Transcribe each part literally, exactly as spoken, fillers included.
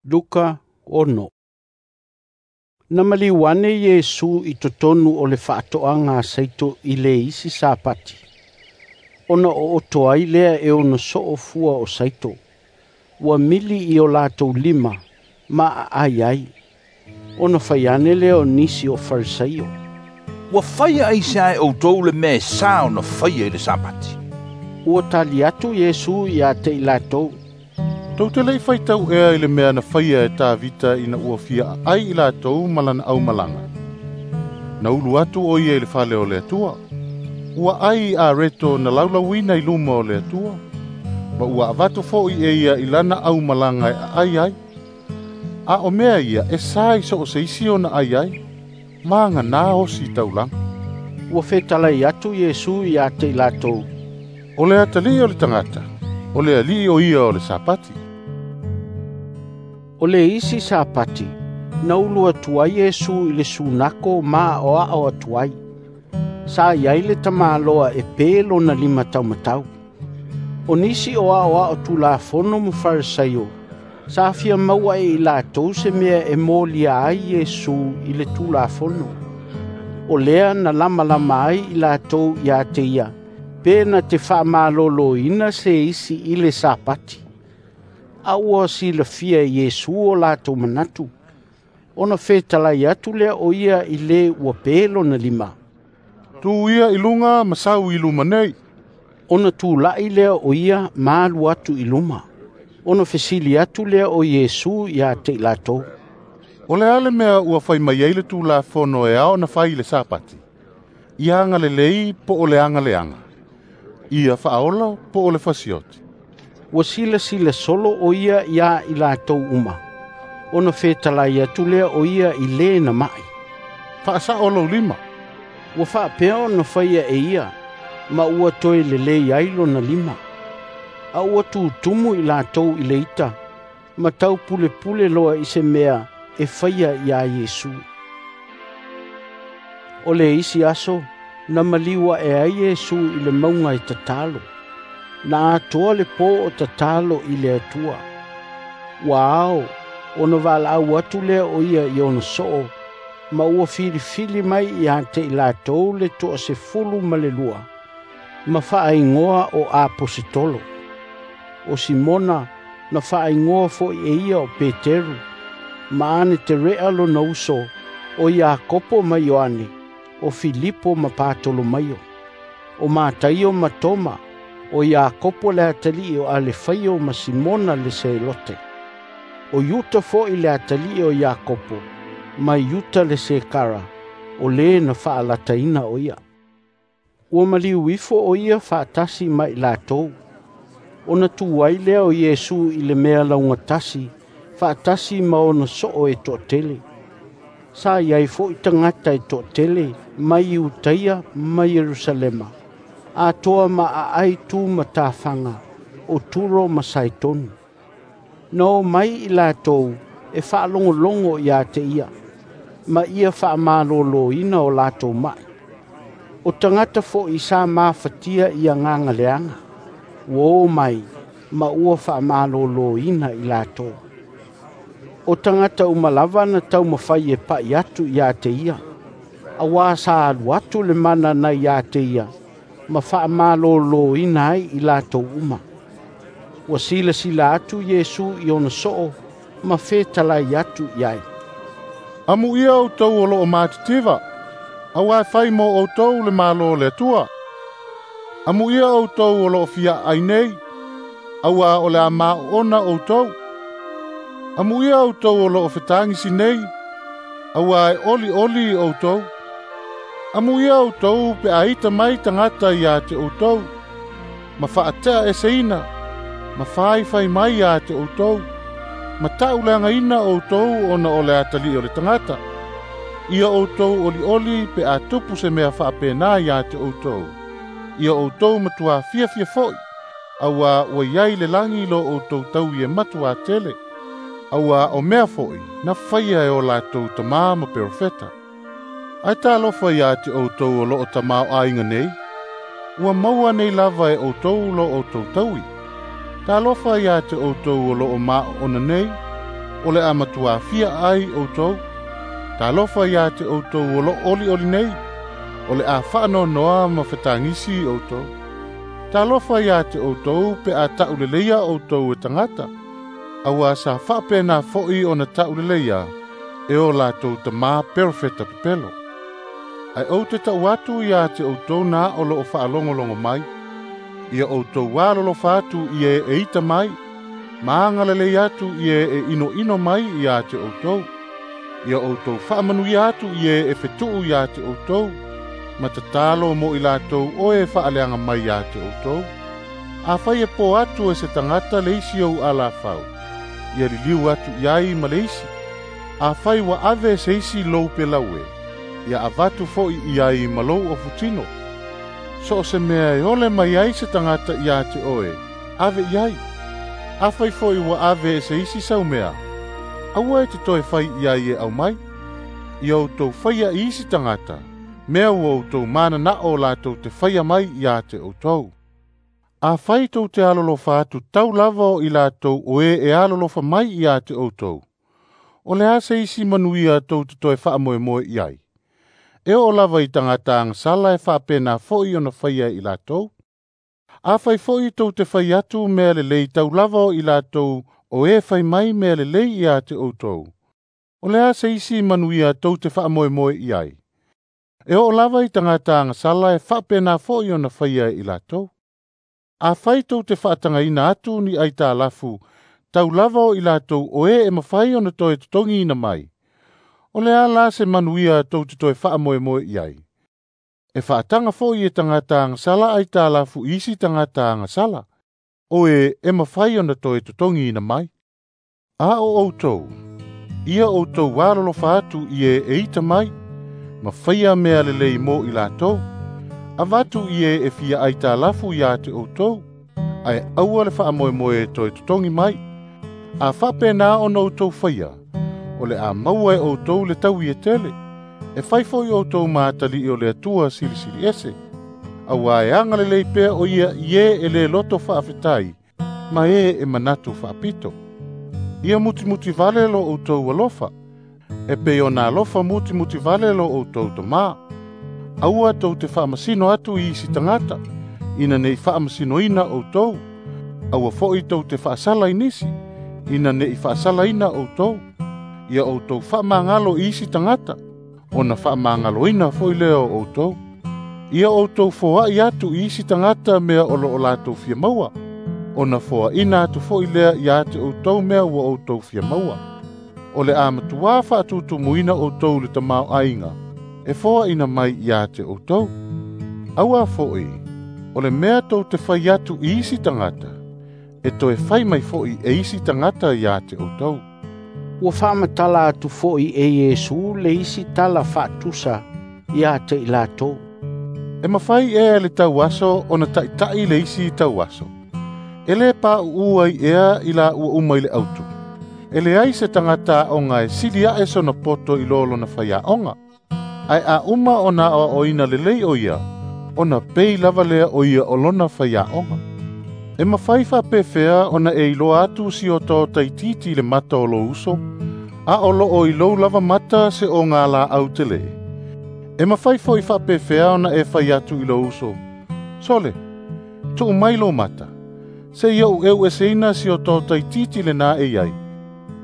Luka ono. Na maliu ane Iesu i totonu o le faatoaga a saito i le isi Sapati, ona ooto ai lea e ona soo fua o saito. Ua mili i o latou lima ma aai ai. Ona fai ane lea o nisi o Farisaio, "Ua faia aisea e outou le mea e sa ona faia i le Sapati?" Ua tali atu Iesu ia te i latou, "Tou te le i faitau ea i le mea na faia e Tavita ina ua fia aai i latou ma lana aumalaga? Na ulu atu o ia i le fale o le Atua. Ua ai i areto na laulauina i luma o le Atua, ma ua avatu foi e ia i lana aumalaga e aai ai. A o mea ia e sa i so o se isi ona ai ai, maga nā osi taulaga." Ua fetalai atu Iesu ia te i latou, "O le atalii o le tagata, o le alii o ia o le Sapati." O le isi Sapati, na ulu atu ai Iesu i le sunako ma aoao atu ai. Sa iai le tamaloa e pe lona lima taumatau. O nisi o aoao tulafono ma Farisaio, sa fia maua e i latou se mea e molia ai Iesu i le tulafono. O lea na lamalama ai i latou ia te ia, pe na te faamaloloina se isi i le Sapati. A ua silafia e Iesu o latou manatu, ona fetalai atu lea o ia i le ua pe lona lima, "Tu ia i luga ma sau i luma nei." Ona tulai lea o ia ma alu atu i luma. Ona fesili atu lea o Iesu ia te i latou, "O le a le mea ua fai mai ai le tulafono e ao ona fai i le Sapati? Ia agalelei po o le agaleaga? Ia faaola po o le fasioti?" Ua silasila solo o ia ia i latou uma. Ona fetalai atu lea o ia i le na mai, "Faasao lou lima." Ua faapea ona faia e ia, ma ua toe lelei ai lona lima. A ua tutumu i latou i le ita, ma tau pulepule loa i se mea e faia ia Iesu. O le isi aso, na maliu ae ai Iesu i le mauga e tatalo. Na atoa le po o tatalo i le Atua. Ua ao, ona valaau atu lea o ia i ona soo, ma ua filifili mai ia te i latou le toasefulu ma le lua, ma faaigoa o Aposetolo. O Simona na faaigoa foi e ia o Peteru, ma Aneterea lona uso, o Iakopo ma Ioane, o Filipo ma Patolomaio, o Mataio ma Toma, o Iakopo le atalii o Alefaio ma Simona le Selote, o Iuta foi le atalii o Iakopo, ma Iuta le Sekara, o le na faalataina o ia. Ua maliu ifo o ia faatasi ma i latou. Ona tu ai lea o Iesu i le mea laugatasi, faatasi ma ona soo e toatele. Sa iai foi tagata e toatele mai Iutaia ma Ierusalema, atoa ma aai tu ma tafaga o Turo ma Saitoni. Na o mai i latou e faalogologo ia te ia, ma ia faamaloloina o latou mai. O tagata foi sa mafatia i agaga leaga, ua o mai ma ua faamaloloina i latou. O tagata uma lava na taumafai e pai atu ia te ia, auā sa alu atu le mana nai ia te ia, ma faamaloloina ai i latou uma. Ua silasila atu Iesu i ona soo ma fetalai atu i ai, "Amuia outou o loo matitiva, auā e fai mo outou le Malo o le Atua. Amuia outou o loo fia aai nei, auā o le a maoona outou. Amuia outou o loo fetagisi nei, auā e olioli outou. Amuia outou pe a ita mai tagata ia te outou, ma faatea eseina, ma faifai mai ia te outou, ma tauleagaina outou ona o le atalii o le tagata. Ia outou olioli pe a tupu se mea faapena ia te outou. Ia outou matua fiafia foi, auā ua iai le lagi lo outou taui e matua tele. Auā o mea foi na faia e o latou tamā ma perofeta. Ae talofa ia te outou o loo tamaoaiga nei, ua maua nei lava e outou lo outou taui. Talofa ia te outou o loo maoona nei, O le a matua fia aai outou. Talofa ia te outou o loo olioli nei, o le a faanoanoa ma fetagisi outou. Talofa ia te outou pe a tauleleia outou e tagata, auā sa faapena foʻi ona tauleleia e o latou tamā perofeta pepelo. Ae ou te tau atu ia te outou na o loo faalogologo mai, ia outou alolofa atu i e e ita mai, ma agalelei atu i e e inoino mai ia te outou. Ia outou faamanuia atu i e e fetuu ia te outou, ma tatalo mo i latou o e faaleaga mai ia te outou. Afai e po atu e se tagata le isi ou alafau, ia liliu atu i ai ma le isi. Afai ua ave se isi lou pelaue, ia avatu foʻi i ai ma lou ofutino. So o se mea e ole mai ai se tagata ia te oe, ave i ai. Afai foʻi ua ave e se isi sau mea, aua e te toe fai i ai e aumai. Ia outou faia i isi tagata, mea ua outou mananao latou te faia mai ia te outou. Afai tou te alolofa atu tau lava o i latou o e e alolofa mai ia te outou, o le a se isi manuia tou te toe faamoemoe i ai? E oo lava i tagata agasala e faapena foʻi ona faia i latou. Afai foʻi tou te fai atu mea lelei tau lava o i latou o e fai mai mea lelei ia te outou, o le a se isi manuia tou te faamoemoe i ai? E oo lava i tagata agasala e faapena foʻi ona faia i latou. Afai tou te faatagaina atu ni aitalafu tau lava o i latou o e e mafai ona toe totogiina mai, o le a la se manuia tou te toe faamoemoe i ai? E faataga foʻi e tagata agasala aitalafu i isi tagata agasala, o e e mafai ona toe totogiina mai. A o outou, ia outou alolofa atu i e e ita mai, ma faia mea lelei mo i latou. Avatu i e e fia aitalafu ia te outou, ae aua le faamoemoe e toe totogi mai. A faapena ona outou faia, o le a maua e outou le taui e tele, e fai foʻi outou ma atalii o le Atua silisili ese, auā e agalelei pea o ia i e e lē loto faafetai, ma e e manatu faapito. Ia mutimuti vale lo outou alofa, e pei ona alofa mutimuti vale lo outou tamā. Aua tou te faamasino atu i isi tagata, ina nei faamasinoina outou. Aua foʻi tou te faasala i nisi, ina nei faasalaina outou. Ia outou faamagalo i isi tagata, ona faamagaloina foʻi lea o outou. Ia outou foaʻi atu i isi tagata mea o loo latou fia maua, ona foaʻina atu foʻi lea ia te outou mea ua outou fia maua. O le a matuā faatutumuina outou le tamaoaiga, e foaʻina mai ia te outou. Auā foʻi, o le mea tou te fai atu i isi tagata, e toe fai mai foʻi e isi tagata ia te outou. Ua faamatala atu foʻi e Iesu le isi tala faatusa ia te i latou. E mafai ea le tauaso ona taʻitaʻi le isi tauaso. E lē paʻuʻu ai ea i laua uma i le autu. E leai se tagata aoga e sili aʻe sona poto i lo lona faiaoga. Ae a uma ona aoaoina lelei o ia, ona pei lava lea o ia o lona faiaoga. E mafai faapefea ona e iloa atu si otaota itiiti i le mata o lou uso, a o loo i lou lava mata se oga laau telē. E mafai foʻi faapefea ona e fai atu i lou uso, sole, tuu mai lou mata, seia ou eueseina si otaota itiiti lenā e i ai,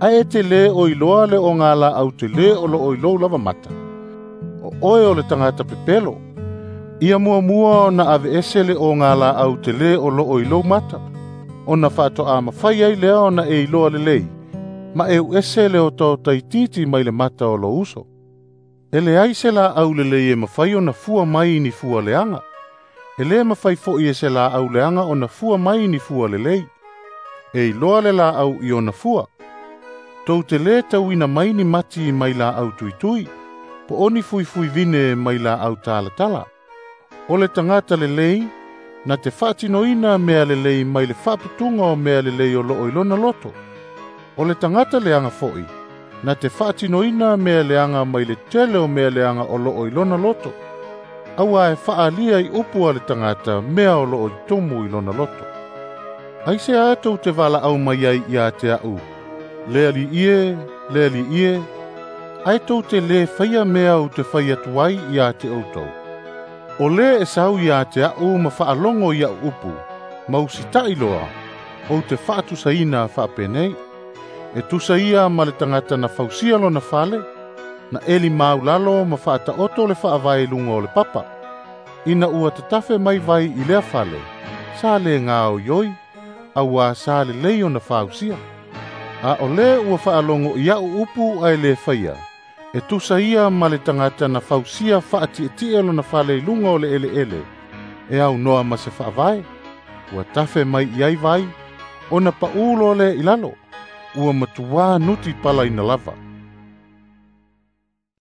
ae e te lē o iloa le oga laau telē o loo i lou lava mata. O oe o le tagata pepelo, ia muamua ona aveese le oga laau telē o loo i lou mata, ona faatoā mafai ai lea ona e iloa lelei, ma euese le otaota itiiti mai le mata o lou uso. E leai se laau lelei e mafai ona fua mai ni fua leaga. E lē mafai foʻi e se laau leaga ona fua mai ni fua lelei. E iloa le laau i ona fua. Tou te lē tauina mai ni mati mai laau tuitui, po o ni fuifui vine mai laau talatala. O le tagata lelei, na te faatinoina mea lelei mai le faaputuga o mea lelei o loo i lona loto. O le tagata leaga foʻi, na te faatinoina mea leaga mai le tele o mea leaga o loo i lona loto. Auā e faaalia i upu a le tagata mea o loo i tumu i lona loto. Aisea tou te valaau mai ai ia te aʻu, Le Alii e, le Alii e, ae tou te lē faia mea ou te fai atu ai ia te outou? O lē e sau ia te a'u ma faalogo i a'u upu, ma usita'i loa, ou te fa'atusaina fa'apenei. E tusa ia ma le tagata na fausia lona fale, na eli maulalo ma fa'ata'oto le fa'avae i luga o le papa. Ina ua tatafe mai vai i lea fale, sa lē gaoioi, auā sa lelei ona fausia. A o lē ua fa'alogo i a'u upu ae lē faia, e tusa ia ma le tagata na fausia fa'ati'eti'e lona fale i luga o le ele'ele, e aunoa ma se fa'avae. Ua tafe mai i ai vai, ona pa'ū loa lea i lalo, ua matuā nuti palaina lava.